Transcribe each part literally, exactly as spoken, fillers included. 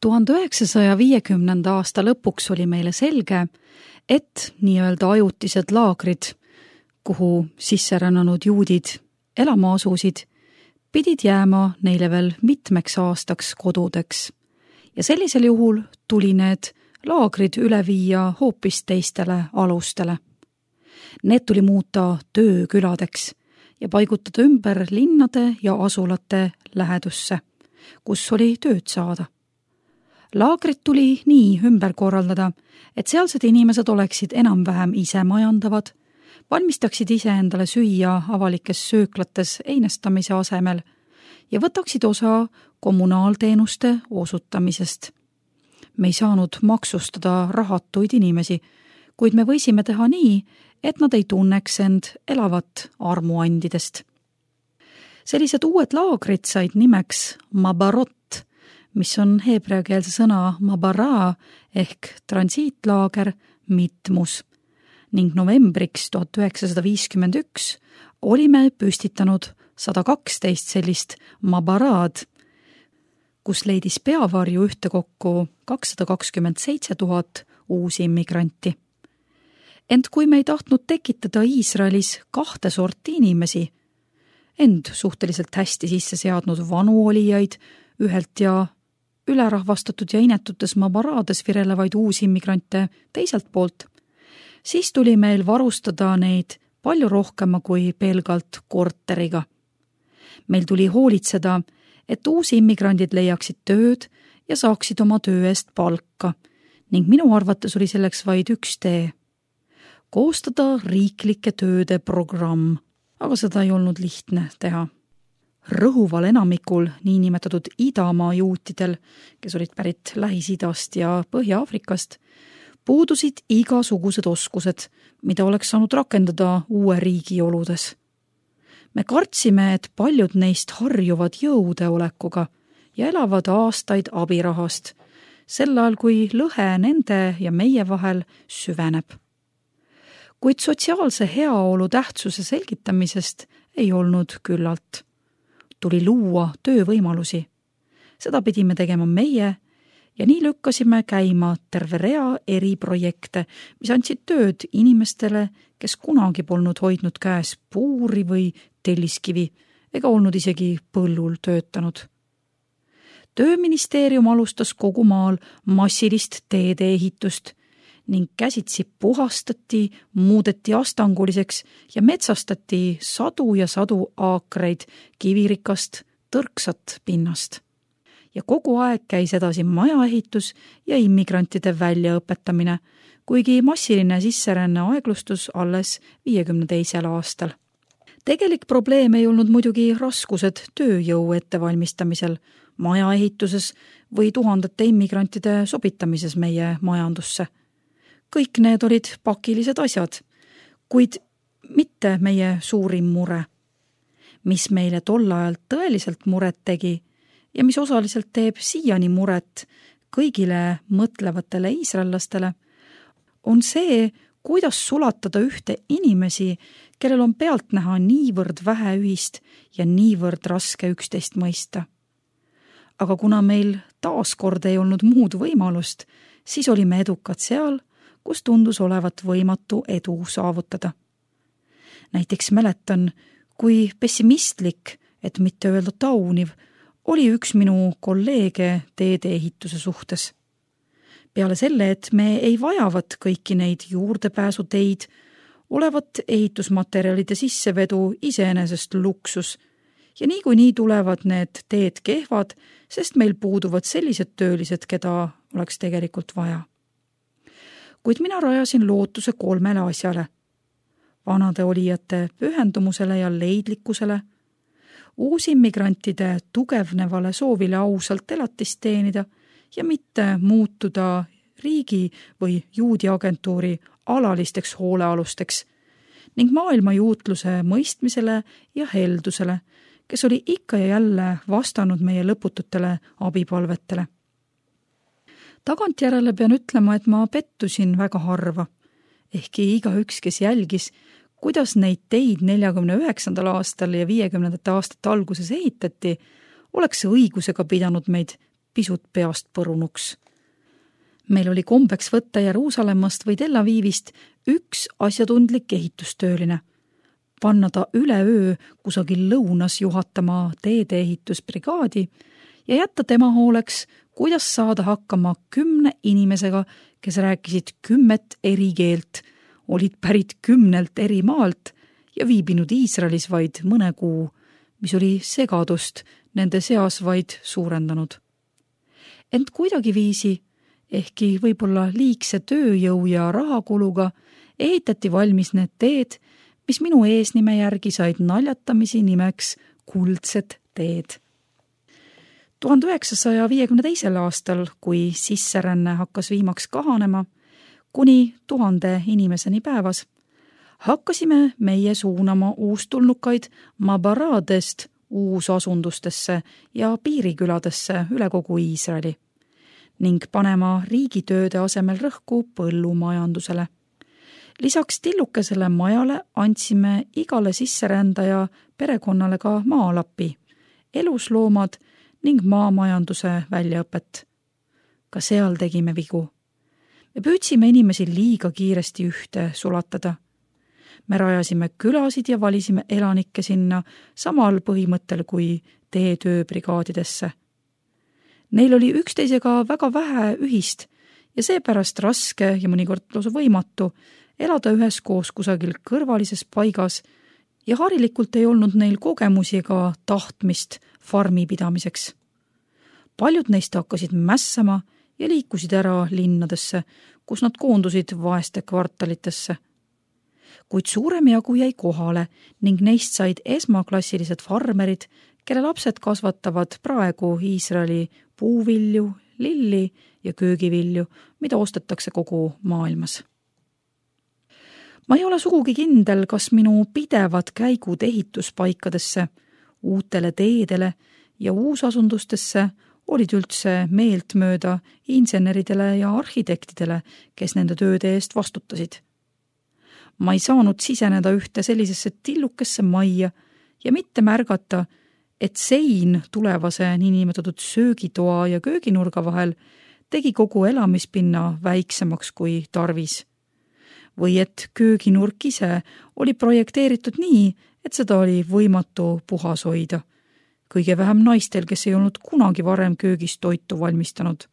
tuhande üheksasaja viiekümnenda aasta lõpuks oli meile selge, et nii-öelda ajutised laagrid, kuhu sisserännanud juudid elama asusid, pidid jääma neile veel mitmeks aastaks kodudeks. Ja sellisel juhul tuli need laagrid üle viia hoopis teistele alustele. Need tuli muuta tööküladeks ja paigutada ümber linnade ja asulate lähedusse, kus oli tööd saada. Laagrid tuli nii ümber korraldada, et sealsed inimesed oleksid enam-vähem ise majandavad, valmistaksid ise endale süüa avalikes sööklates einestamise asemel ja võtaksid osa kommunaalteenuste osutamisest. Me ei saanud maksustada rahatuid inimesi, kuid me võisime teha nii, et nad ei tunneks end elavat armuandidest. Sellised uued laagrid said nimeks Mabarot, mis on heebreakeelse sõna mabara ehk transiitlaager mitmus, ning novembriks tuhat üheksasada viiskümmend üks olime püstitanud sada kaksteist sellist mabaraad, kus leidis peavarju ühtekokku kakssada kakskümmend seitse tuhat uusi immigranti. Ent kui me ei tahtnud tekitada Iisraelis kahte sorti inimesi, end suhteliselt hästi sisse seadnud vanu olijaid ühelt ja ülerahvastatud ja inetutes mabaraades virelevaid uusi immigrante teiselt poolt, siis tuli meil varustada neid palju rohkema kui pelgalt korteriga. Meil tuli hoolitseda, et uusi immigrandid leiaksid tööd ja saaksid oma töö eest palka, ning minu arvates oli selleks vaid üks tee. Koostada riiklike tööde programm, aga seda ei olnud lihtne teha. Rõhuval enamikul niinimetatud idamaa juutidel, kes olid pärit Lähis-Idast ja Põhja-Aafrikast, puudusid igasugused oskused, mida oleks saanud rakendada uue riigi oludes. Me kartsime, et paljud neist harjuvad jõudeolekuga ja elavad aastaid abirahast, sel ajal kui lõhe nende ja meie vahel süveneb. Kuid sotsiaalse heaolu tähtsuse selgitamisest ei olnud küllalt. Tuli luua töövõimalusi. Seda pidime tegema meie ja nii lükkasime käima terve rea eri projekte, mis andsid tööd inimestele, kes kunagi polnud hoidnud käes puuri või telliskivi ega olnud isegi põllul töötanud. Tööministeerium alustas kogu maal massilist teede ehitust ning käsitsi puhastati, muudeti astanguliseks ja metsastati sadu ja sadu aakreid kivirikast tõrksat pinnast. Ja kogu aeg käis edasi majaehitus ja immigrantide väljaõpetamine, kuigi massiline sisseränne aeglustus alles viiekümne teisel aastal. Tegelik probleem ei olnud muidugi raskused tööjõu ettevalmistamisel, majaehituses või tuhandete immigrantide sobitamises meie majandusse. Kõik need olid pakilised asjad, kuid mitte meie suurim mure. Mis meile tol ajal tõeliselt muret tegi ja mis osaliselt teeb siiani muret kõigile mõtlevatele iisraellastele, on see, kuidas sulatada ühte inimesi, kellel on pealtnäha niivõrd vähe ühist ja niivõrd raske üksteist mõista. Aga kuna meil taaskord ei olnud muud võimalust, siis olime edukad seal, kus tundus olevat võimatu edu saavutada. Näiteks mäletan, kui pessimistlik, et mitte öelda tauniv, oli üks minu kolleege teedeehituse suhtes. Peale selle, et me ei vajavat kõiki neid juurdepääsuteid, olevat ehitusmaterjalide sissevedu iseenesest luksus ja niikuinii tulevad need teed kehvad, sest meil puuduvad sellised töölised, keda oleks tegelikult vaja. Kuid mina rajasin lootuse kolmele asjale. Vanade olijate pühendumusele ja leidlikkusele, uusimmigrantide tugevnevale soovile ausalt elatist teenida ja mitte muutuda riigi või juudi agentuuri alalisteks hoolealusteks ning maailma juutluse mõistmisele ja heldusele, kes oli ikka ja jälle vastanud meie lõpututele abipalvetele. Tagantjärele pean ütlema, et ma pettusin väga harva, ehkki igaüks, kes jälgis, kuidas neid teid neljakümne üheksandal aastal ja viiekümnendate aastate alguses ehitati, oleks õigusega pidanud meid pisut peast põrunuks. Meil oli kombeks võtta Jeruusalemmast või Tel Avivist üks asjatundlik ehitustööline, panna ta üleöö kusagil lõunas juhatama teedeehitusbrigaadi ja jätta tema hooleks, kuidas saada hakkama kümne inimesega, kes rääkisid kümmet eri keelt, olid pärit kümnelt eri maalt ja viibinud Iisraelis vaid mõne kuu, mis oli segadust nende seas vaid suurendanud. Ent kuidagiviisi, ehkki võib-olla liigse tööjõu ja rahakuluga, ehitati valmis need teed, mis minu eesnime järgi said naljatamisi nimeks kuldsed teed. tuhande üheksasaja viiekümne teisel aastal, kui sisseränne hakkas viimaks kahanema, kuni tuhande inimeseni päevas, hakkasime meie suunama uustulnukaid Mabaradest uusasundustesse ja piiriküladesse üle kogu Iisraeli ning panema riigitööde asemel rõhku põllumajandusele. Lisaks tillukesele majale andsime igale sisserändaja perekonnale ka maalapi, elusloomad ning maamajanduse väljaõpet. Ka seal tegime vigu. Me püüdsime inimesi liiga kiiresti ühte sulatada. Me rajasime külasid ja valisime elanikke sinna samal põhimõttel kui teetööbrigaadidesse. Neil oli üksteisega väga vähe ühist ja seepärast raske ja mõnikord lausa võimatu elada üheskoos kusagil kõrvalises paigas ja harilikult ei olnud neil kogemusi ega tahtmist farmi pidamiseks. Paljud neist hakkasid mässama ja liikusid ära linnadesse, kus nad koondusid vaeste kvartalitesse. Kuid suurem jagu jäi kohale ning neist said esmaklassilised farmerid, kelle lapsed kasvatavad praegu Iisraeli puuvilju, lilli ja köögivilju, mida ostetakse kogu maailmas. Ma ei ole sugugi kindel, kas minu pidevad käigud ehituspaikadesse, uutele teedele ja uusasundustesse olid üldse meeltmööda inseneridele ja arhitektidele, kes nende tööde eest vastutasid. Ma ei saanud siseneda ühte sellisesse tillukesse majja ja mitte märgata, et sein tulevase niinimetatud söögitoa ja kööginurga vahel tegi kogu elamispinna väiksemaks kui tarvis. Või et kööginurk ise oli projekteeritud nii, et seda oli võimatu puhas hoida. Kõige vähem naistel, kes ei olnud kunagi varem köögis toitu valmistanud.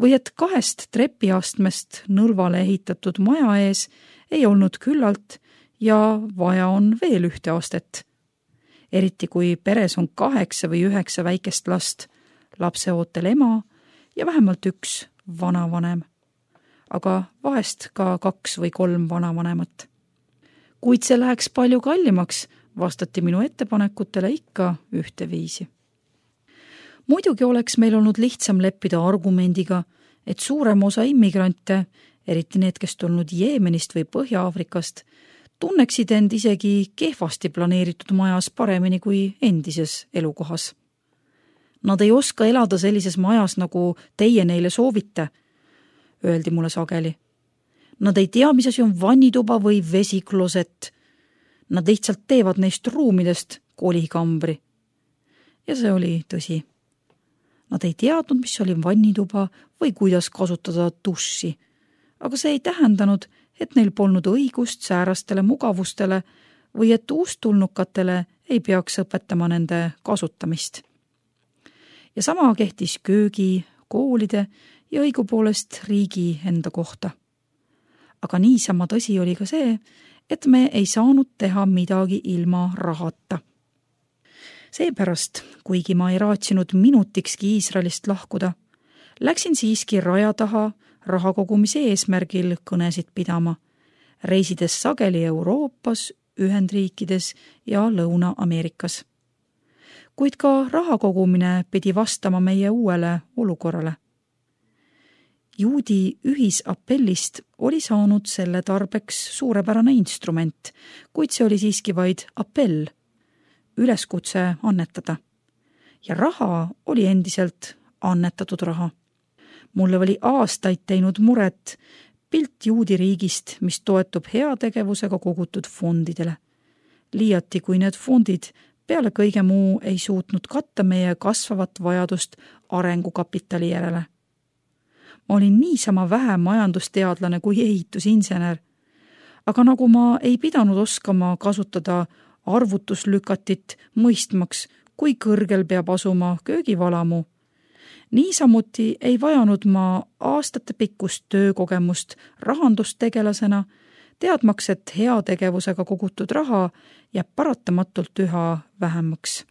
Või et kahest trepiastmest nõlvale ehitatud maja ees ei olnud küllalt ja vaja on veel ühte astet. Eriti kui peres on kaheksa või üheksa väikest last, lapseootel ema ja vähemalt üks vanavanem. Aga vahest ka kaks või kolm vanavanemat. Kuid see läheks palju kallimaks, vastati minu ettepanekutele ikka ühteviisi. Muidugi oleks meil olnud lihtsam leppida argumendiga, et suurem osa immigrante, eriti need, kes tulnud Jeemenist või Põhja-Aafrikast, tunneksid end isegi kehvasti planeeritud majas paremini kui endises elukohas. Nad ei oska elada sellises majas, nagu teie neile soovite, öeldi mulle sageli. Nad ei tea, mis asi on vannituba või vesikloset. Nad lihtsalt teevad neist ruumidest kolikambri. Ja see oli tõsi. Nad ei teadnud, mis oli vannituba või kuidas kasutada duši. Aga see ei tähendanud, et neil polnud õigust säärastele mugavustele või et uustulnukatele ei peaks õpetama nende kasutamist. Ja sama kehtis köögi, koolide ja õigupoolest riigi enda kohta. Aga niisama tõsi oli ka see, et me ei saanud teha midagi ilma rahata. Seepärast, kuigi ma ei raatsinud minutikski Iisraelist lahkuda, läksin siiski raja taha raha kogumise eesmärgil kõnesid pidama, reisides sageli Euroopas, Ühendriikides ja Lõuna-Ameerikas. Kuid ka raha kogumine pidi vastama meie uuele olukorrale. Juudi ühisapellist oli saanud selle tarbeks suurepärane instrument, kuid see oli siiski vaid appell, üleskutse annetada. Ja raha oli endiselt annetatud raha. Mulle oli aastaid teinud muret pilt juudi riigist, mis toetub heategevusega kogutud fondidele. Liiati, kui need fondid peale kõige muu ei suutnud katta meie kasvavat vajadust arengukapitali järele. Ma olin niisama vähe majandusteadlane kui ehitusinsener, aga nagu ma ei pidanud oskama kasutada arvutuslükatit mõistmaks, kui kõrgel peab asuma köögivalamu, niisamuti ei vajanud ma aastate pikkust töökogemust rahandustegelasena, teadmaks, et heategevusega kogutud raha jääb paratamatult üha vähemaks.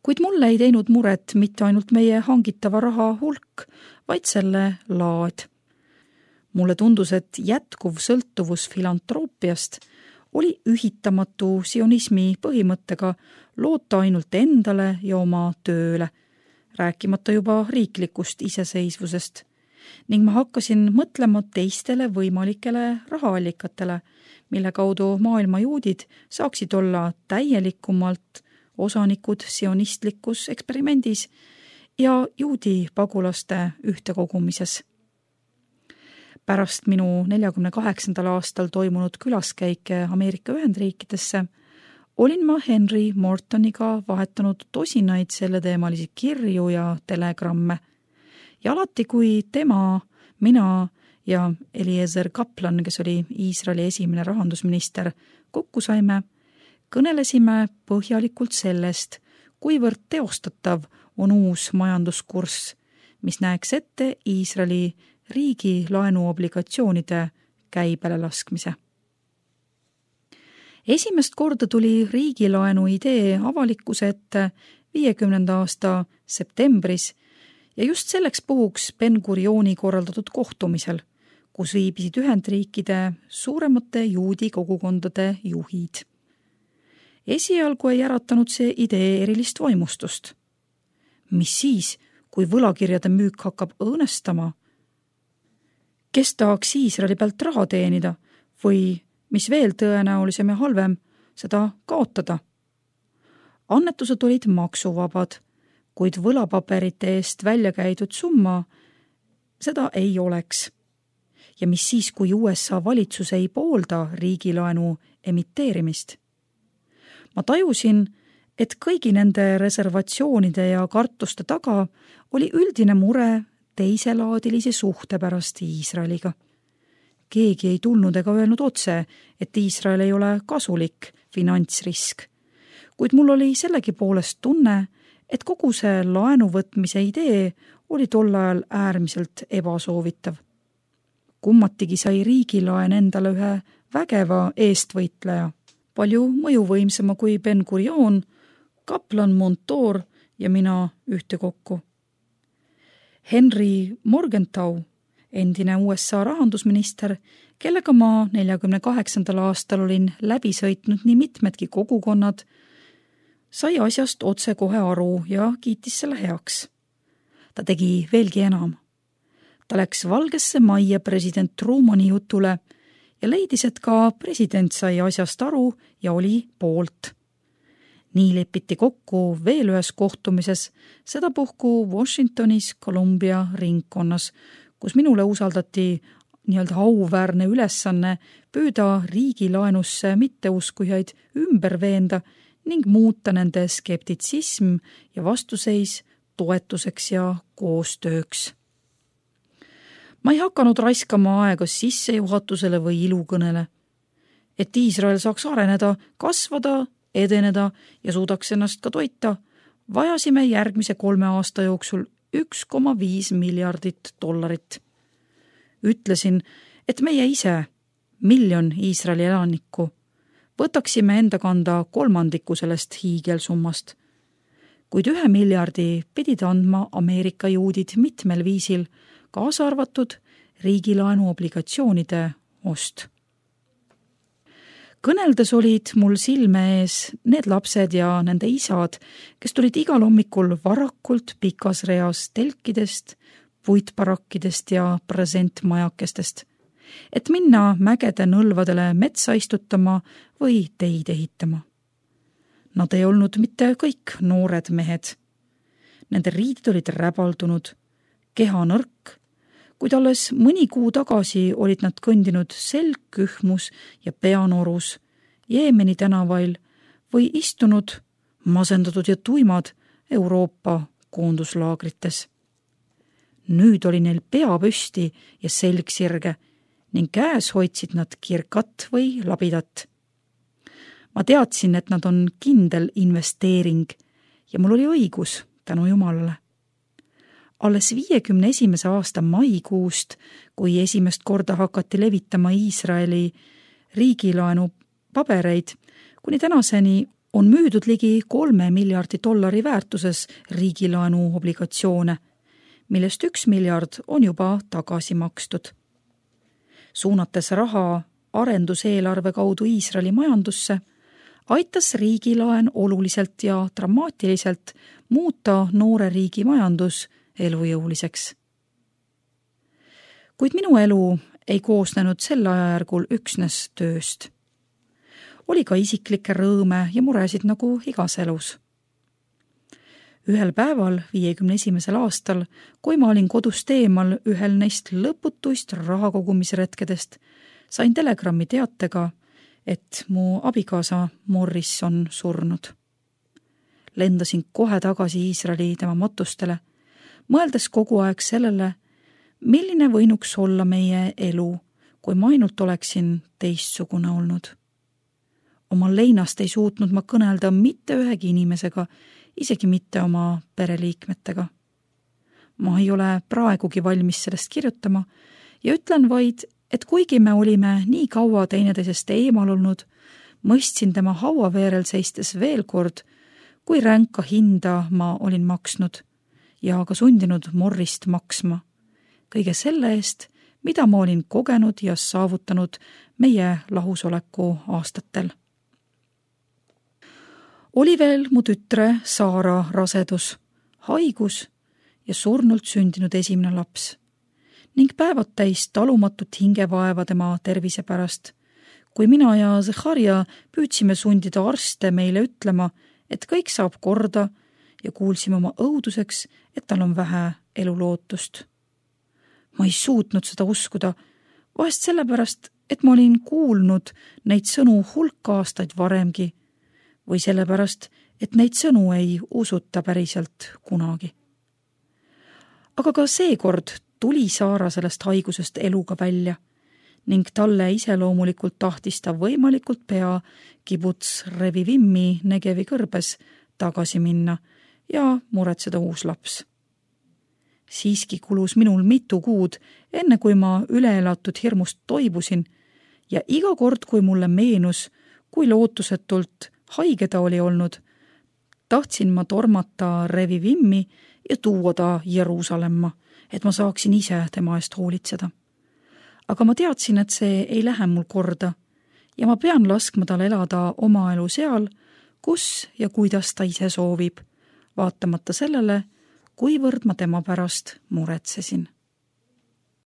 Kuid mulle ei teinud muret mitte ainult meie hangitava raha hulk, vaid selle laad. Mulle tundus, et jätkuv sõltuvus filantroopiast oli ühitamatu sionismi põhimõttega loota ainult endale ja oma tööle, rääkimata juba riiklikust iseseisvusest, ning ma hakkasin mõtlema teistele võimalikele rahaallikatele, mille kaudu maailma juudid saaksid olla täielikumalt osanikud sionistlikus eksperimendis ja juudi pagulaste ühtekogumises. Pärast minu neljakümne kaheksandal aastal toimunud külaskäike Ameerika Ühendriikidesse olin ma Henry Mortoniga vahetanud tosinaid selleteemalisi kirju ja telegramme. Ja alati, kui tema, mina ja Eliezer Kaplan, kes oli Iisraeli esimene rahandusminister, kokku saime, kõnelesime põhjalikult sellest, kuivõrd teostatav on uus majanduskurss, mis näeks ette Iisraeli riigi laenuobligatsioonide käibele laskmise. Esimest korda tuli riigilaenu idee avalikkuse ette viiekümnenda aasta septembris ja just selleks puhuks Ben-Gurioni korraldatud kohtumisel, kus viibisid Ühendriikide suuremate juudi kogukondade juhid. Esialgu ei äratanud see idee erilist vaimustust. Mis siis, kui võlakirjade müük hakkab õõnestama? Kes tahaks Iisraeli pealt raha teenida või, mis veel tõenäolisem ja halvem, seda kaotada? Annetused olid maksuvabad, kuid võlapaberite eest välja käidud summa seda ei oleks. Ja mis siis, kui U S A valitsus ei poolda riigilaenu emiteerimist? Ma tajusin, et kõigi nende reservatsioonide ja kartuste taga oli üldine mure teiselaadilise suhte pärast Iisraeliga. Keegi ei tulnud ega öelnud otse, et Iisrael ei ole kasulik finantsrisk, kuid mul oli sellegi poolest tunne, et kogu see laenuvõtmise idee oli tol ajal äärmiselt ebasoovitav. Kummatigi sai riigilaen endale ühe vägeva eestvõitleja, palju mõjuvõimsama kui Ben-Gurion, Kaplan Montour ja mina ühtekokku. Henry Morgenthau, endine U S A rahandusminister, kellega ma neljakümne kaheksandal aastal olin läbi sõitnud nii mitmedki kogukonnad, sai asjast otse kohe aru ja kiitis selle heaks. Ta tegi veelgi enam. Ta läks Valgesse Majja president Trumani jutule ja leidis, et ka president sai asjast aru ja oli poolt. Nii lepiti kokku veel ühes kohtumises, sedapuhku Washingtonis Columbia ringkonnas, kus minule usaldati nii-öelda auväärne ülesanne püüda riigilaenusse mitteuskujaid ümber veenda ning muuta nende skeptitsism ja vastuseis toetuseks ja koostööks. Ma ei hakanud raiskama aega sissejuhatusele või ilukõnele. Et Iisrael saaks areneda, kasvada, edeneda ja suudaks ennast ka toita, vajasime järgmise kolme aasta jooksul üks koma viis miljardit dollarit. Ütlesin, et meie ise, miljon Iisraeli elanikku, võtaksime enda kanda kolmandiku sellest hiigelsummast. Kuid ühe miljardi pidid andma Ameerika juudid mitmel viisil, kaasa arvatud riigilaenu obligatsioonide ost. Kõneldes olid mul silme ees need lapsed ja nende isad, kes tulid igal hommikul varakult pikas reas telkidest, puitbarakkidest ja presentmajakestest, et minna mägede nõlvadele metsa istutama või teid ehitama. Nad ei olnud mitte kõik noored mehed. Nende riidid olid räbaldunud, keha nõrk, kuid alles mõni kuu tagasi olid nad kõndinud selg kühmus ja peanorus Jeemeni tänavail või istunud masendatud ja tuimad Euroopa koonduslaagrites. Nüüd oli neil pea püsti ja selg sirge ning käes hoidsid nad kirkat või labidat. Ma teadsin, et nad on kindel investeering ja mul oli õigus tänu Jumalale. Alles viiekümne esimese aasta maikuust, kui esimest korda hakati levitama Iisraeli riigilaenu pabereid, kuni tänaseni on müüdud ligi kolme miljardi dollari väärtuses riigilaenu obligatsioone, millest üks miljard on juba tagasi makstud. Suunates raha arenduseelarve kaudu Iisraeli majandusse, aitas riigilaen oluliselt ja dramaatiliselt muuta noore riigi majandus elujõuliseks. Kuid minu elu ei koosnenud sel ajajärgul üksnes tööst. Oli ka isiklikke rõõme ja muresid nagu igas elus. Ühel päeval, viiekümne esimesel aastal, kui ma olin kodust eemal ühel neist lõputuist rahakogumisretkedest, sain telegrammi teatega, et mu abikaasa Morris on surnud. Lendasin kohe tagasi Iisraeli tema matustele, mõeldes kogu aeg sellele, milline võinuks olla meie elu, kui ma ainult oleksin teistsugune olnud. Oma leinast ei suutnud ma kõnelda mitte ühegi inimesega, isegi mitte oma pereliikmetega. Ma ei ole praegugi valmis sellest kirjutama ja ütlen vaid, et kuigi me olime nii kaua teineteisest eemal olnud, mõistsin tema hauaveerel seistes veel kord, kui ränka hinda ma olin maksnud ja ka sundinud Morrist maksma. Kõige selle eest, mida ma olin kogenud ja saavutanud meie lahusoleku aastatel. Oli veel mu tütre Saara rasedus, haigus ja surnult sündinud esimene laps ning päevad täis talumatut hingevaeva tema tervise pärast, kui mina ja Zecharja püüdsime sundida arste meile ütlema, et kõik saab korda ja kuulsime oma õuduseks, et tal on vähe elulootust. Ma ei suutnud seda uskuda, vahest sellepärast, et ma olin kuulnud neid sõnu hulk aastaid varemgi või sellepärast, et neid sõnu ei usuta päriselt kunagi. Aga ka seekord tuli Saara sellest haigusest eluga välja ning talle iseloomulikult tahtis ta võimalikult pea kibuts Revivimmi Negevi kõrbes tagasi minna ja muretseda uus laps. Siiski kulus minul mitu kuud, enne kui ma üleelatud hirmust toibusin ja iga kord, kui mulle meenus, kui lootusetult haige ta oli olnud, tahtsin ma tormata Revivimmi ja tuua ta Jeruusalemma, et ma saaksin ise tema eest hoolitseda. Aga ma teadsin, et see ei lähe mul korda ja ma pean laskma tal elada oma elu seal, kus ja kuidas ta ise soovib, vaatamata sellele, kuivõrd ma tema pärast muretsesin.